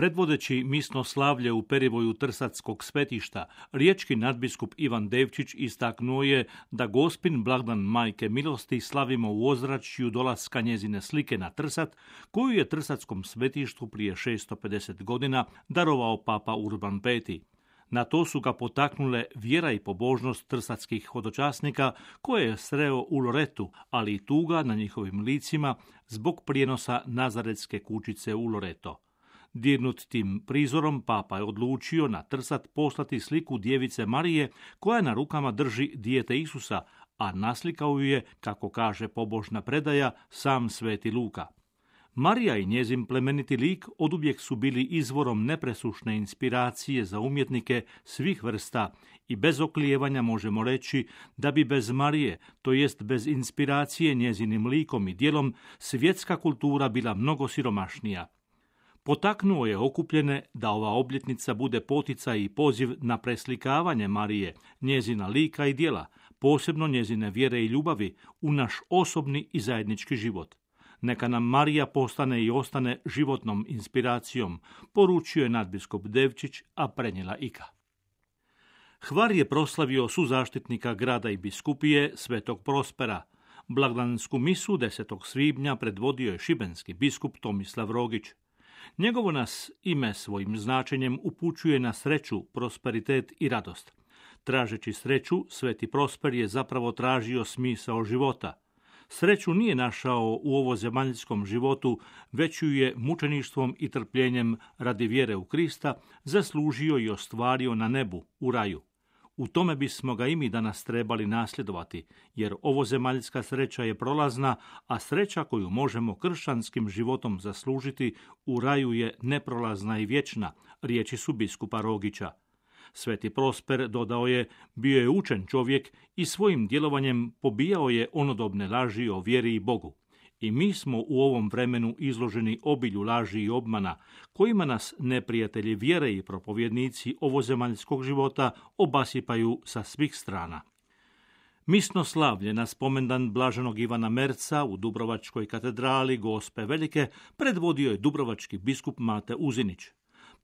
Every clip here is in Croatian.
Predvodeći misno slavlje u perivoju Trsatskog svetišta, riječki nadbiskup Ivan Devčić istaknuo je da Gospin blagdan Majke milosti slavimo u ozračju dolaska njezine slike na Trsat, koju je Trsatskom svetištu prije 650 godina darovao papa Urban V. Na to su ga potaknule vjera i pobožnost trsatskih hodočasnika koje je sreo u Loretu, ali i tuga na njihovim licima zbog prijenosa Nazaretske kućice u Loreto. Dirnut tim prizorom, papa je odlučio na Trsat poslati sliku djevice Marije koja na rukama drži dijete Isusa, a naslikao ju je, kako kaže pobožna predaja, sam sveti Luka. Marija i njezin plemeniti lik oduvijek su bili izvorom nepresušne inspiracije za umjetnike svih vrsta i bez oklijevanja možemo reći da bi bez Marije, to jest bez inspiracije njezinim likom i djelom, svjetska kultura bila mnogo siromašnija. Potaknuo je okupljene da ova obljetnica bude poticaj i poziv na preslikavanje Marije, njezina lika i djela, posebno njezine vjere i ljubavi, u naš osobni i zajednički život. Neka nam Marija postane i ostane životnom inspiracijom, poručio je nadbiskup Devčić, a prenijela Ika. Hvar je proslavio suzaštitnika grada i biskupije Svetog Prospera. Blagdansku misu 10. svibnja predvodio je šibenski biskup Tomislav Rogić. Njegovo nas ime svojim značenjem upućuje na sreću, prosperitet i radost. Tražeći sreću, Sveti Prosper je zapravo tražio smisao života. Sreću nije našao u ovozemaljskom životu, već ju je mučeništvom i trpljenjem radi vjere u Krista zaslužio i ostvario na nebu, u raju. U tome bismo ga i mi danas trebali nasljedovati, jer ovozemaljska sreća je prolazna, a sreća koju možemo kršćanskim životom zaslužiti u raju je neprolazna i vječna, riječi su biskupa Rogića. Sveti Prosper, dodao je, bio je učen čovjek i svojim djelovanjem pobijao je onodobne laži o vjeri i Bogu. I mi smo u ovom vremenu izloženi obilju laži i obmana, kojima nas neprijatelji vjere i propovjednici ovozemaljskog života obasipaju sa svih strana. Misno slavlje na spomendan blaženog Ivana Merca u Dubrovačkoj katedrali Gospe Velike predvodio je dubrovački biskup Mate Uzinić.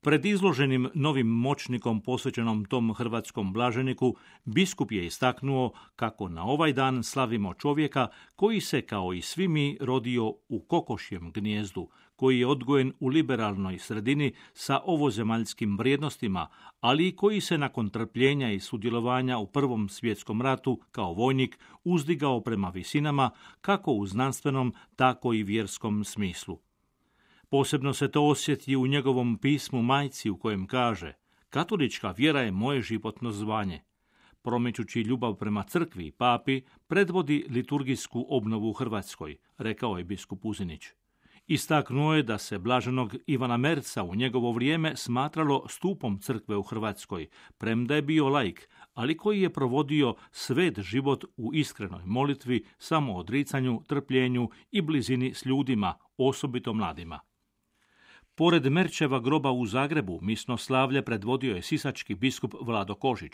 Pred izloženim novim moćnikom posvećenom tom hrvatskom blaženiku, biskup je istaknuo kako na ovaj dan slavimo čovjeka koji se, kao i svi mi, rodio u kokošjem gnijezdu, koji je odgojen u liberalnoj sredini sa ovozemaljskim vrijednostima, ali i koji se nakon trpljenja i sudjelovanja u Prvom svjetskom ratu kao vojnik uzdigao prema visinama, kako u znanstvenom, tako i vjerskom smislu. Posebno se to osjeti u njegovom pismu majci u kojem kaže: katolička vjera je moje životno zvanje. Promičući ljubav prema crkvi i papi, predvodi liturgijsku obnovu u Hrvatskoj, rekao je biskup Uzinić. Istaknuo je da se blaženog Ivana Merca u njegovo vrijeme smatralo stupom crkve u Hrvatskoj, premda je bio laik, ali koji je provodio svet život u iskrenoj molitvi, samoodricanju, trpljenju i blizini s ljudima, osobito mladima. Pored Merčeva groba u Zagrebu, misno slavlje predvodio je sisački biskup Vlado Kožić.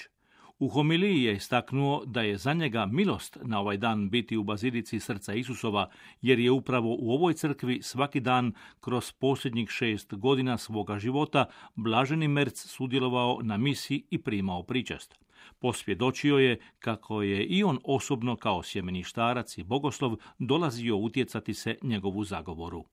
U homiliji je istaknuo da je za njega milost na ovaj dan biti u bazilici Srca Isusova, jer je upravo u ovoj crkvi svaki dan kroz posljednjih 6 godina svoga života blaženi Merc sudjelovao na misi i primao pričast. Posvjedočio je kako je i on osobno kao sjemeništarac i bogoslov dolazio utjecati se njegovu zagovoru.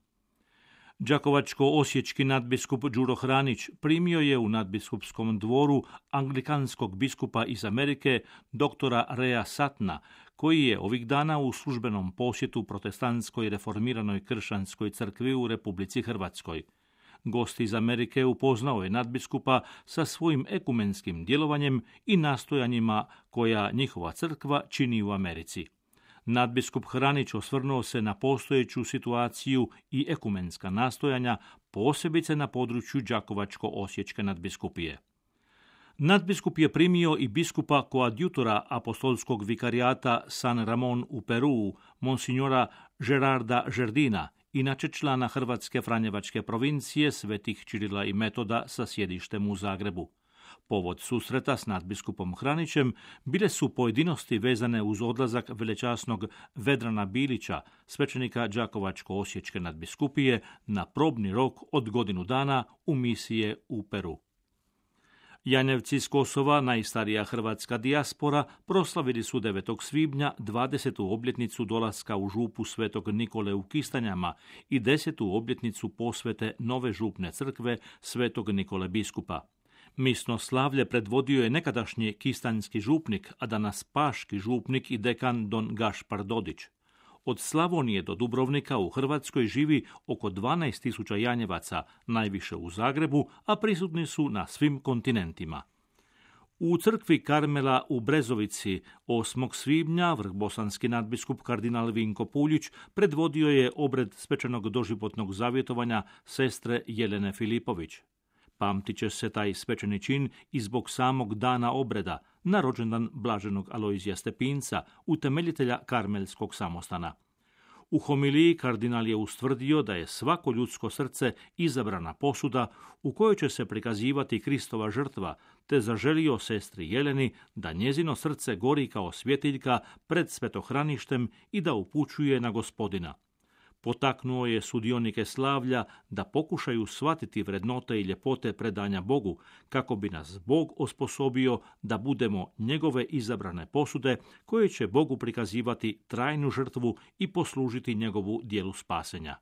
Đakovačko-osječki nadbiskup Đuro Hranić primio je u nadbiskupskom dvoru anglikanskog biskupa iz Amerike, doktora Rea Satna, koji je ovih dana u službenom posjetu protestantskoj reformiranoj kršćanskoj crkvi u Republici Hrvatskoj. Gost iz Amerike upoznao je nadbiskupa sa svojim ekumenskim djelovanjem i nastojanjima koja njihova crkva čini u Americi. Nadbiskup Hranić osvrnuo se na postojeću situaciju i ekumenska nastojanja, posebice na području Đakovačko-osječke nadbiskupije. Nadbiskup je primio i biskupa koadjutora apostolskog vikarijata San Ramon u Peruu, monsignora Gerarda Žerdina, inače člana Hrvatske franjevačke provincije Svetih Čirila i Metoda sa sjedištem u Zagrebu. Povod susreta s nadbiskupom Hranićem bile su pojedinosti vezane uz odlazak velečasnog Vedrana Bilića, svećenika Đakovačko-osječke nadbiskupije, na probni rok od godinu dana u misije u Peru. Janjevci s Kosova, najstarija hrvatska dijaspora, proslavili su 9. svibnja 20. obljetnicu dolaska u župu Svetog Nikole u Kistanjama i 10. obljetnicu posvete nove župne crkve Svetog Nikole biskupa. Misno slavlje predvodio je nekadašnji kistanjski župnik, a danas paški župnik i dekan don Gašpar Dodić. Od Slavonije do Dubrovnika u Hrvatskoj živi oko 12.000 Janjevaca, najviše u Zagrebu, a prisutni su na svim kontinentima. U crkvi Karmela u Brezovici 8. svibnja vrhbosanski nadbiskup kardinal Vinko Puljić predvodio je obred svečanog doživotnog zavjetovanja sestre Jelene Filipović. Pamtit će se taj svečani čin i zbog samog dana obreda, na rođendan blaženog Alojzija Stepinca, utemeljitelja Karmelskog samostana. U homiliji kardinal je ustvrdio da je svako ljudsko srce izabrana posuda u kojoj će se prikazivati Kristova žrtva, te zaželio sestri Jeleni da njezino srce gori kao svjetiljka pred svetohraništem i da upućuje na Gospodina. Potaknuo je sudionike slavlja da pokušaju shvatiti vrednote i ljepote predanja Bogu, kako bi nas Bog osposobio da budemo njegove izabrane posude koje će Bogu prikazivati trajnu žrtvu i poslužiti njegovu djelu spasenja.